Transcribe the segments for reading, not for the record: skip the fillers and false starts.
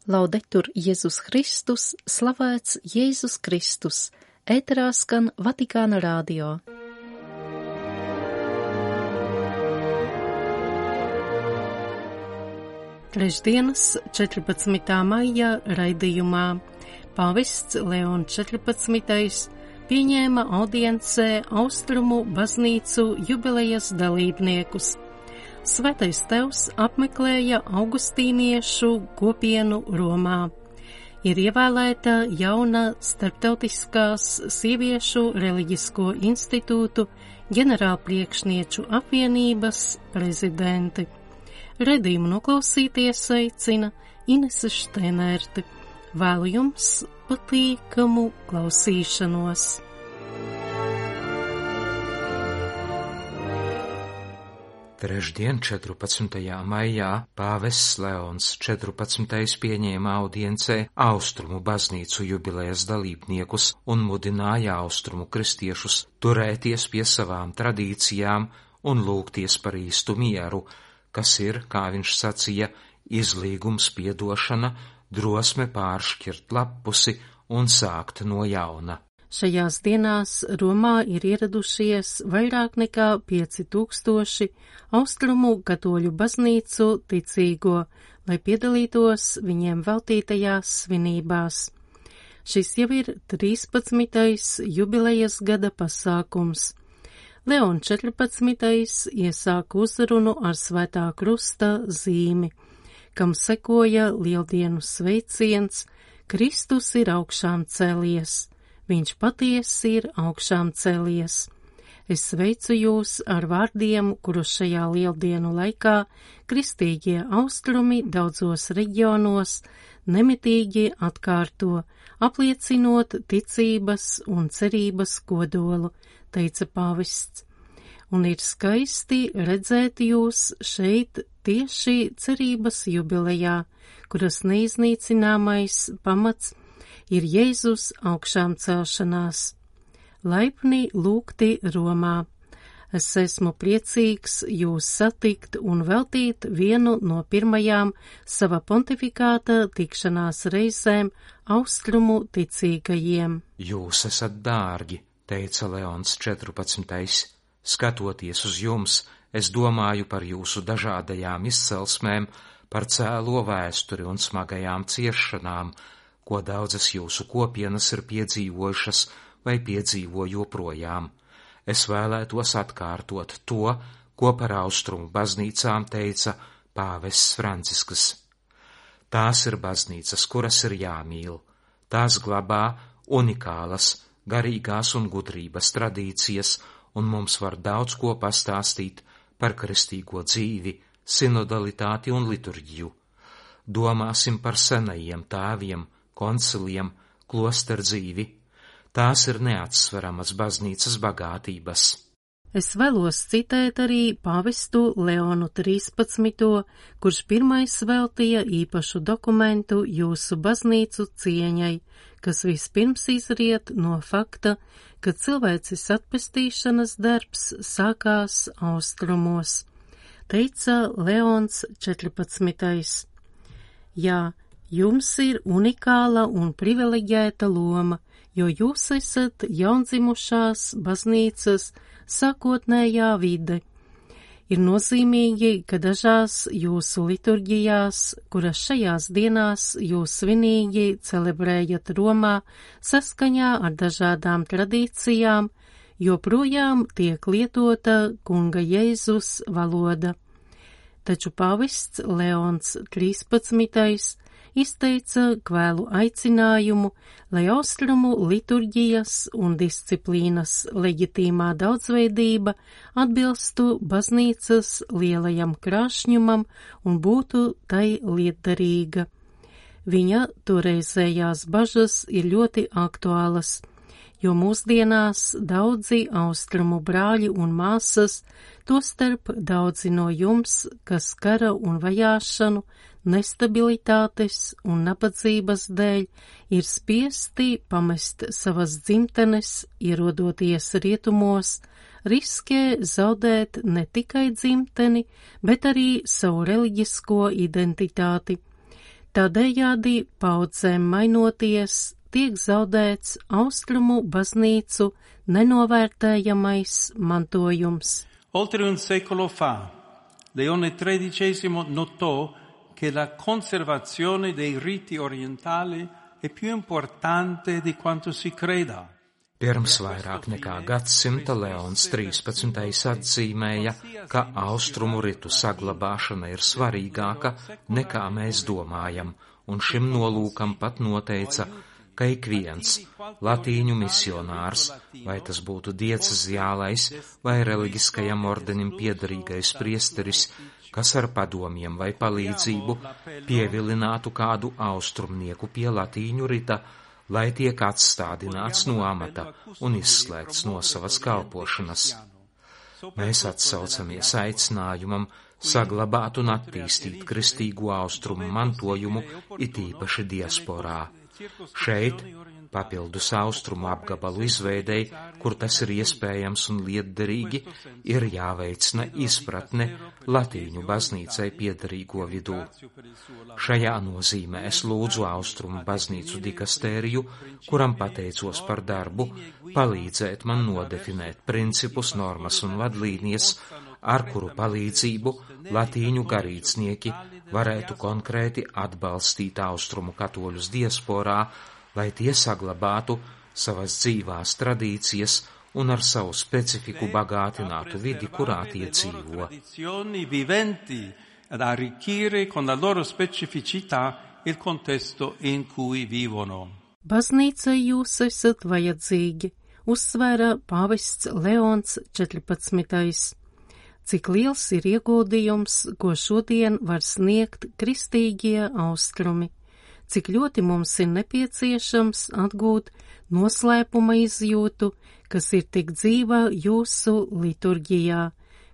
Laudetur Jēzus Kristus, slavēts Jēzus Kristus, ēterā skan Vatikāna radio. Trešdienas 14. maija raidījumā pāvests Leons 14. pieņēma audiencē Austrumu baznīcu jubilejas dalībniekus. Svētais Tevs apmeklēja augustīniešu kopienu Romā. Ir ievēlēta jauna starptautiskās sieviešu reliģisko institūtu ģenerālpriekšnieču apvienības prezidenti. Redījumu noklausīties aicina Inese Šteinerte. Vēlu jums patīkamu klausīšanos. Trešdien, 14. maijā, pāvests Leons 14. pieņēma audiencē Austrumu baznīcu jubilejas dalībniekus un mudināja austrumu kristiešus turēties pie savām tradīcijām un lūgties par īstu mieru, kas ir, kā viņš sacīja, izlīgums, piedošana, drosme pāršķirt lappusi un sākt no jauna. Šajās dienās Romā ir ieradušies vairāk nekā 5000 austrumu katoļu baznīcu ticīgo, lai piedalītos viņiem veltītajās svinībās. Šis jau ir 13. jubilejas gada pasākums. Leons 14. iesāka uzrunu ar Svētā krusta zīmi, kam sekoja lieldienu sveiciens Kristus ir augšām cēlies. Viņš patiesi ir augšām cēlies. Es sveicu jūs ar vārdiem, kurus šajā lieldienu laikā kristīgie austrumi daudzos reģionos nemitīgi atkārto, apliecinot ticības un cerības kodolu, teica pāvests. Un ir skaisti redzēt jūs šeit tieši cerības jubilejā, kuras neiznīcināmais pamats ir Jēzus augšām celšanās. Laipni lūgti Romā. Es esmu priecīgs jūs satikt un veltīt vienu no pirmajām sava pontifikāta tikšanās reizēm austrumu ticīgajiem. Jūs esat dārgi, teica Leons 14. Skatoties uz jums, es domāju par jūsu dažādajām izcelsmēm, par cēlo vēsturi un smagajām ciešanām, ko daudzas jūsu kopienas ir piedzīvojušas vai piedzīvo joprojām. Es vēlētos atkārtot to, ko par austrumu baznīcām teica pāvests Francisks. Tās ir baznīcas, kuras ir jāmīl. Tās glabā unikālas, garīgās un gudrības tradīcijas, un mums var daudz ko pastāstīt par kristīgo dzīvi, sinodalitāti un liturģiju. Domāsim par senajiem tēviem, konciliem, klosteru dzīvi. Tās ir neatsveramas baznīcas bagātības. Es vēlos citēt arī pāvestu Leonu 13., kurš pirmais veltīja īpašu dokumentu jūsu baznīcu cieņai, kas vispirms izriet no fakta, ka cilvēces atpestīšanas darbs sākās austrumos, teica Leons 14. Jā, jums ir unikāla un privileģēta loma, jo jūs esat jaundzimušās baznīcas sākotnējā vide. Ir nozīmīgi, ka dažās jūsu liturģijās, kuras šajās dienās jūs svinīgi celebrējat Romā saskaņā ar dažādām tradīcijām, joprojām tiek lietota kunga Jēzus valoda. Taču pāvests Leons 13. izteica kvēlu aicinājumu, lai austrumu liturģijas un disciplīnas leģitīmā daudzveidība atbilstu baznīcas lielajam krāšņumam un būtu tai lietderīga. Viņa toreizējās bažas ir ļoti aktuālas, jo mūsdienās daudzi austrumu brāļi un māsas, tostarp daudzi no jums, kas kara un vajāšanu, nestabilitātes un nabadzības dēļ ir spiesti pamest savas dzimtenes, ierodoties rietumos, riskē zaudēt ne tikai dzimteni, bet arī savu reliģisko identitāti. Tādējādi paudzēm mainoties tiek zaudēts austrumu baznīcu nenovērtējamais mantojums. Oltre un secolo fa, Leone XIII notò che la conservazione dei riti orientali è più importante di quanto si creda. Pirms vairāk nekā gadsimta Leons 13. atzīmēja, ka austrumu ritu saglabāšana ir svarīgāka nekā mēs domājam, un šim nolūkam pat noteica, ka ik viens latīņu misionārs, vai tas būtu dieceziālais vai reliģiskajam ordenim piederīgais priesteris, kas ar padomiem vai palīdzību pievilinātu kādu austrumnieku pie latīņu rita, lai tiek atstādināts no amata un izslēgts no savas kalpošanas. Mēs atsaucamies aicinājumam saglabāt un attīstīt kristīgo austrumu mantojumu, it īpaši diasporā. Šeit, papildus austrumu apgabalu izveidei, kur tas ir iespējams un lietderīgi, ir jāveicina izpratne latīņu baznīcai piederīgo vidū. Šajā nozīmē es lūdzu austrumu baznīcu dikastēriju, kuram pateicos par darbu, palīdzēt man nodefinēt principus, normas un vadlīnijas, ar kuru palīdzību latīņu garīdznieki varētu konkrēti atbalstīt austrumu katoļus diasporā, lai tie saglabātu savas dzīvās tradīcijas un ar savu specifiku bagātinātu vidi, kurā tie dzīvo. Ad arricchire con la loro specificità il contesto in cui vivono. Baznīcai jūs esat vajadzīgi, uzsvēra pāvests Leons 14. Cik liels ir ieguldījums, ko šodien var sniegt kristīgie austrumi, cik ļoti mums ir nepieciešams atgūt noslēpuma izjūtu, kas ir tik dzīva jūsu liturģijā,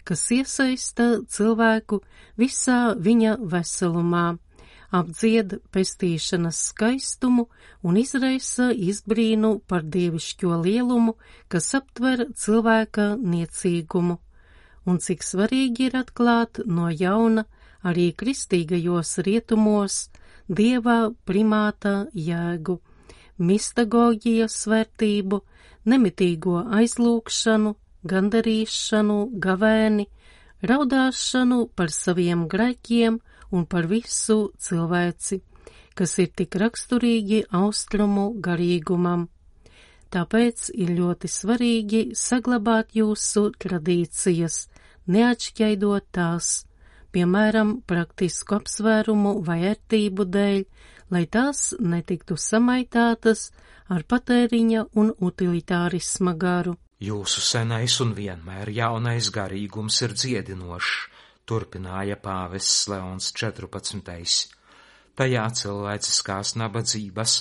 kas iesaista cilvēku visā viņa veselumā, apdzied pestīšanas skaistumu un izraisa izbrīnu par dievišķo lielumu, kas aptver cilvēka niecīgumu. Un cik svarīgi ir atklāt no jauna arī kristīgajos rietumos Dieva primāta jēgu, mistagoģijas vērtību, nemitīgo aizlūgšanu, gandarīšanu, gavēni, raudāšanu par saviem grēkiem un par visu cilvēci, kas ir tik raksturīgi austrumu garīgumam. Tāpēc ir ļoti svarīgi saglabāt jūsu tradīcijas, neatšķaidot tās, piemēram, praktisku apsvērumu vai ērtību dēļ, lai tās netiktu samaitātas ar patēriņa un utilitārisma garu. Jūsu senais un vienmēr jaunais garīgums ir dziedinošs, turpināja pāvests Leons 14. Tajā cilvēciskās nabadzības,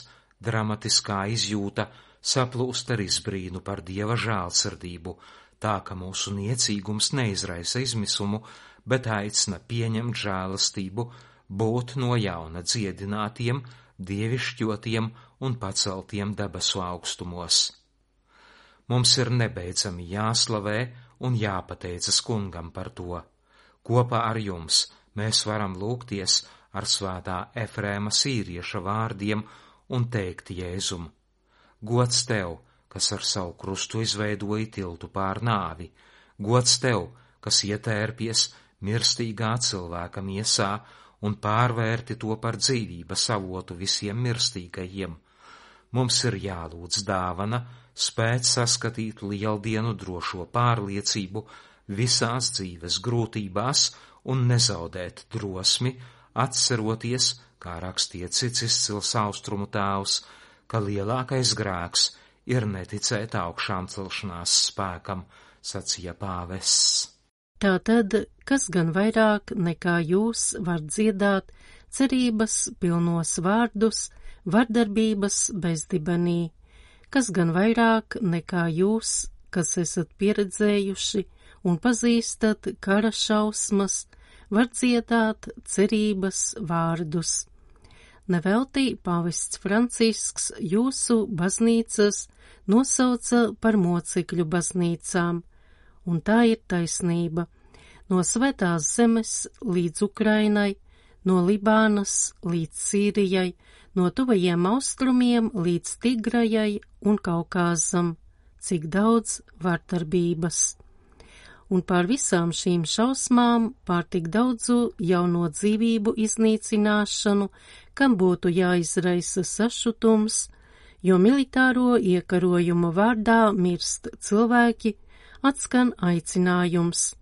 dramatiskā izjūta saplūst ar izbrīnu par Dieva žēlsirdību, tā ka mūsu niecīgums neizraisa izmisumu, bet aicina pieņemt žēlastību, būt no jauna dziedinātiem, dievišķotiem un paceltiem debesu augstumos. Mums ir nebeidzami jāslavē un jāpateicas kungam par to. Kopā ar jums mēs varam lūgties ar svētā Efrēma sīrieša vārdiem un teikt Jēzum: Gods tev, kas ar savu krustu izveidoja tiltu pār nāvi, gods tev, kas ietērpies mirstīgā cilvēka miesā un pārvērti to par dzīvības avotu visiem mirstīgajiem. Mums ir jālūdz dāvana, spēt saskatīt lieldienu drošo pārliecību visās dzīves grūtībās un nezaudēt drosmi, atceroties, kā rakstīja cits izcils austrumu tēvs, ka lielākais grēks ir neticēt augšām celšanās spēkam, sacīja pāvests. Tātad, kas gan vairāk nekā jūs var dziedāt cerības pilnos vārdus, vardarbības bezdibenī, kas gan vairāk nekā jūs, kas esat pieredzējuši un pazīstat kara šausmas, var dziedāt cerības vārdus. Nevelti pāvests Francisks jūsu baznīcas nosauca par mocekļu baznīcām, un tā ir taisnība. No Svētās zemes līdz Ukrainai, no Libānas līdz Sīrijai, no tuvajiem austrumiem līdz Tigrajai un Kaukāzam, cik daudz vardarbības. Un pār visām šīm šausmām, pār tik daudzu jauno dzīvību iznīcināšanu, kam būtu jāizraisa sašutums, jo militāro iekarojumu vārdā mirst cilvēki, atskan aicinājums.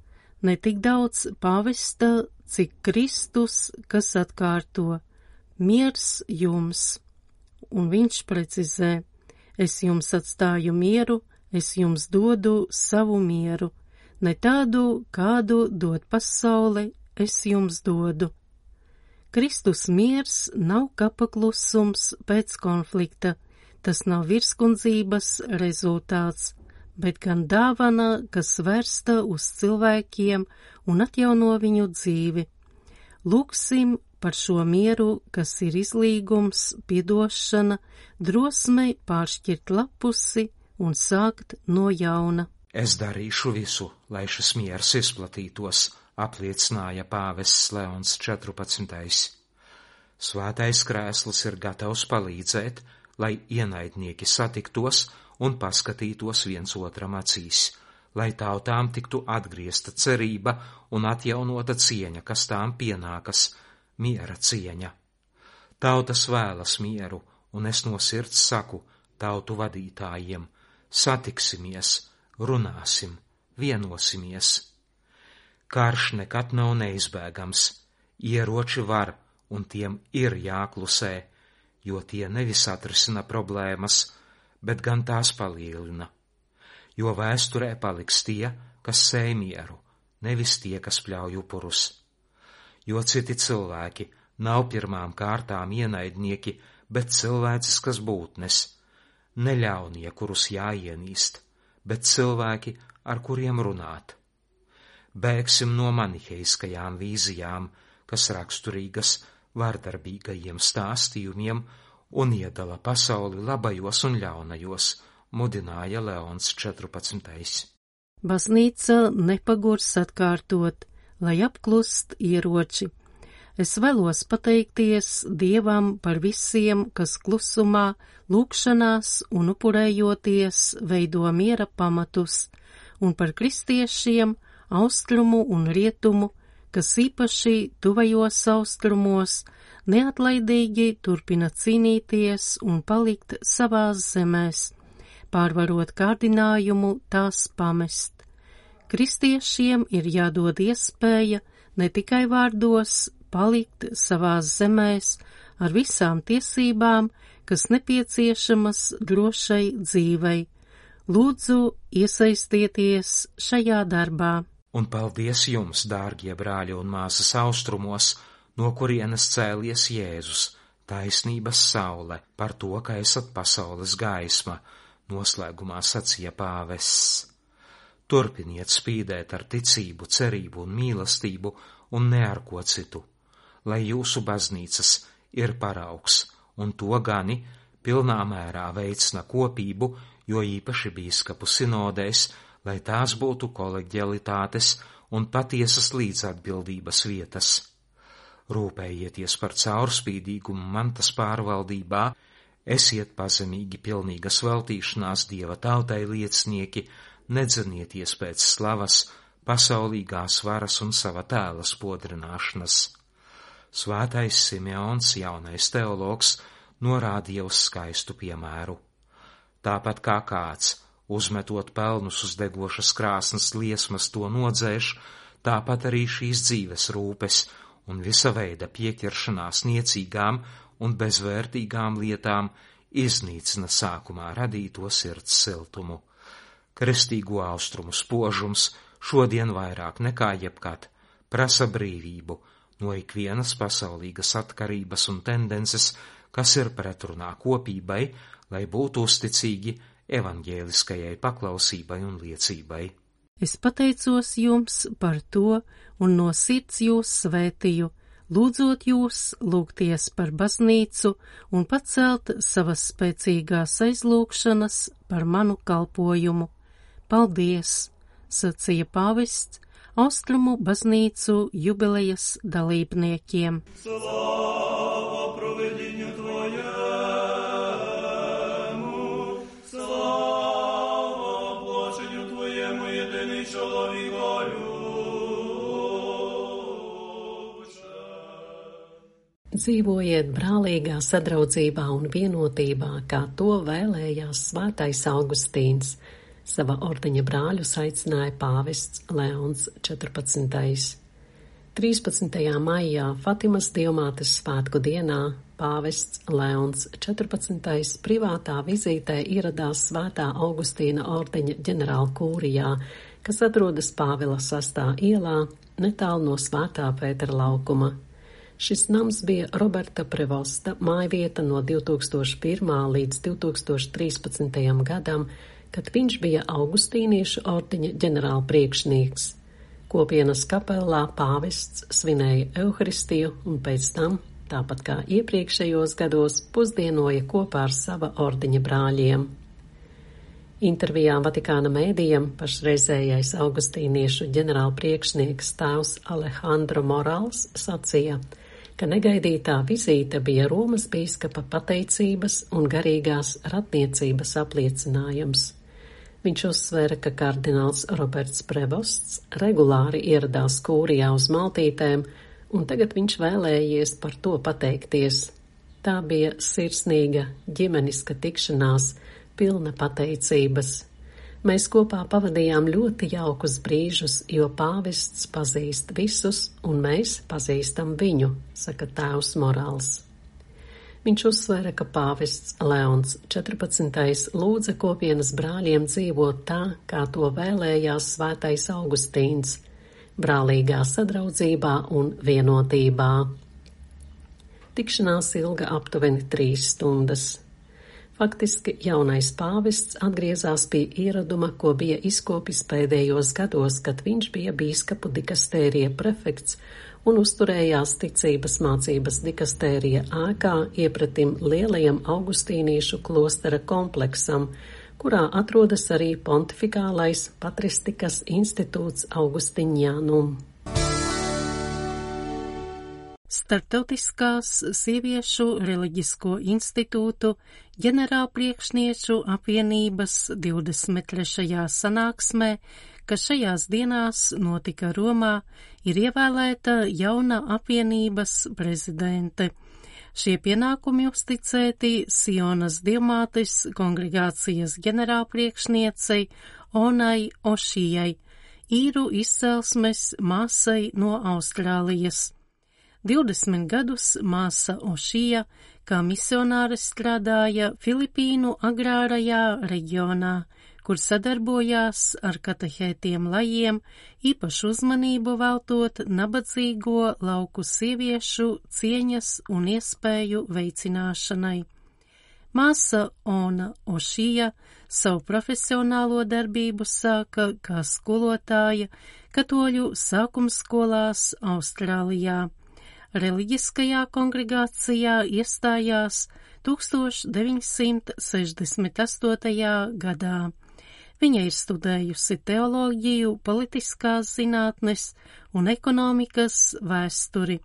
Ne tik daudz pāvesta, cik Kristus, kas atkārto, miers jums. Un viņš precizē, es jums atstāju mieru, es jums dodu savu mieru, ne tādu, kādu dod pasaule, es jums dodu. Kristus miers nav kapaklusums pēc konflikta, tas nav virskundzības rezultāts, bet gan dāvana, kas vērsta uz cilvēkiem un atjauno viņu dzīvi. Lūksim par šo mieru, kas ir izlīgums, piedošana, drosme pāršķirt lapusi un sākt no jauna. Es darīšu visu, lai šis miers izplatītos, apliecināja pāvests Leons 14. Svētais krēsls ir gatavs palīdzēt, lai ienaidnieki satiktos un paskatītos viens otram acīs, lai tautām tiktu atgriezta cerība un atjaunota cieņa, kas tām pienākas, miera cieņa. Tautas vēlas mieru, un es no sirds saku tautu vadītājiem, satiksimies, runāsim, vienosimies. Karš nekad nav neizbēgams, ieroči var, un tiem ir jāklusē, jo tie nevis atrisina problēmas, bet gan tās palielina. Jo vēsturē paliks tie, kas sēj mieru, nevis tie, kas pļauj upurus. Jo citi cilvēki nav pirmām kārtām ienaidnieki, bet cilvēciskas būtnes, ne ļaunie, kurus jāienīst, bet cilvēki, ar kuriem runāt. Bēgsim no maniheiskajām vīzijām, kas raksturīgas vardarbīgajiem stāstījumiem un iedala pasauli labajos un ļaunajos, mudināja Leons 14. Baznīca nepagurs atkārtot, lai apklust ieroči. Es vēlos pateikties Dievam par visiem, kas klusumā, lūgšanās un upurējoties veido miera pamatus, un par kristiešiem, austrumu un rietumu, kas īpaši tuvajos austrumos neatlaidīgi turpina cīnīties un palikt savās zemēs, pārvarot kārdinājumu tās pamest. Kristiešiem ir jādod iespēja ne tikai vārdos palikt savās zemēs ar visām tiesībām, kas nepieciešamas drošai dzīvei. Lūdzu, iesaistieties šajā darbā. Un paldies jums, dārgie brāļi un māsas austrumos, no kurienes cēlies Jēzus, taisnības saule, par to, ka esat pasaules gaisma, noslēgumā sacīja pāvests. Turpiniet spīdēt ar ticību, cerību un mīlestību un ne ar ko citu, lai jūsu baznīcas ir paraugs, un to gani pilnā mērā veicina kopību, jo īpaši bīskapu sinodēs, lai tās būtu koleģialitātes un patiesas līdzatbildības vietas. Rūpējieties par caurspīdīgumu mantas pārvaldībā, esiet pazemīgi pilnīgas veltīšanās Dieva tautai liecinieki, nedzenieties pēc slavas, pasaulīgās varas un sava tēla spodrināšanas. Svētais Simeons, jaunais teologs, norādīja uz skaistu piemēru. Tāpat kā kāds, uzmetot pelnus uz degošas krāsnes liesmas, to nodzēš, tāpat arī šīs dzīves rūpes un visa veida pieķeršanās niecīgām un bezvērtīgām lietām iznīcina sākumā radīto sirds siltumu. Kristīgo austrumu spožums šodien vairāk nekā jebkad prasa brīvību no ikvienas pasaulīgas atkarības un tendences, kas ir pretrunā kopībai, lai būtu uzticīgi evaņģēliskajai paklausībai un liecībai. Es pateicos jums par to un no sirds jūs svētīju, lūdzot jūs lūgties par baznīcu un pacelt savas spēcīgās aizlūgšanas par manu kalpojumu. Paldies, sacīja pāvests, Austrumu baznīcu jubilejas dalībniekiem. Слава провидінню Твоєму, слава оплаченню Твоєму, єдиний чоловікові. Dzīvojiet brālīgā sadraudzībā un vienotībā, kā to vēlējās svētais Augustīns. Sava ordeņa brāļus aicināja pāvests Leons 14. 13. maijā Fatimas Dievmātes svētku dienā pāvests Leons 14. privātā vizītē ieradās Svētā Augustīna ordeņa ģenerālkūrijā, kas atrodas Pāvila 6. ielā, netālu no Svētā Pētera laukuma. Šis nams bija Roberta Prevosta mājvieta no 2001. līdz 2013. gadam, kad viņš bija Augustīniešu ordeņa ģenerālpriekšnieks. Kopienas kapelā pāvests svinēja Euharistiju un pēc tam, tāpat kā iepriekšējos gados, pusdienoja kopā ar sava ordeņa brāļiem. Intervijā Vatikāna mēdījam pašreizējais Augustīniešu ģenerālpriekšnieks tēvs Alejandro Morals sacīja, ka negaidītā vizīte bija Romas bīskapa pateicības un garīgās ratniecības apliecinājums. Viņš uzsvēra, ka kardināls Roberts Prevosts regulāri ieradās kūrijā uz maltītēm, un tagad viņš vēlējies par to pateikties. Tā bija sirsnīga, ģimeniska tikšanās, pilna pateicības. Mēs kopā pavadījām ļoti jaukus brīžus, jo pāvests pazīst visus, un mēs pazīstam viņu, saka tēvs Morāls. Viņš uzsvēra, ka pāvests Leons 14. lūdza kopienas brāļiem dzīvot tā, kā to vēlējās svētais Augustīns, brālīgā sadraudzībā un vienotībā. Tikšanās ilga aptuveni 3 stundas. Faktiski jaunais pāvests atgriezās pie ieraduma, ko bija izkopis pēdējos gados, kad viņš bija bīskapu dikastērija prefekts un uzturējās ticības mācības dikastērija ēkā iepratim lielajam augustīniešu klostera kompleksam, kurā atrodas arī pontifikālais patristikas institūts Augustiņānum. Startautiskās sieviešu reliģisko institūtu ģenerālpriekšnieču apvienības 23. sanāksmē, kas šajās dienās notika Romā, ir ievēlēta jauna apvienības prezidente. Šie pienākumi uzticēti Sionas Dievmātes kongregācijas ģenerālpriekšniecei Onai Ošijai, īru izcelsmes māsai no Austrālijas. 20 gadus māsa Ošija kā misionāre strādāja Filipīnu agrārajā reģionā, kur sadarbojās ar katehētiem lajiem, īpašu uzmanību veltot nabadzīgo lauku sieviešu cieņas un iespēju veicināšanai. Māsa Ona Ošija savu profesionālo darbību sāka kā skolotāja katoļu sākumskolās Austrālijā. Reliģiskajā kongregācijā iestājās 1968. gadā. Viņa ir studējusi teoloģiju, politiskās zinātnes un ekonomikas vēsturi.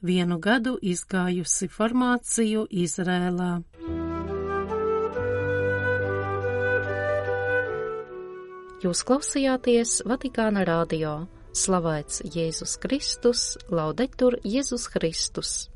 1 gadu izgājusi formāciju Izrēlā. Jūs klausījāties Vatikāna radio. Slavēts Jēzus Kristus, Laudetur Jēzus Kristus.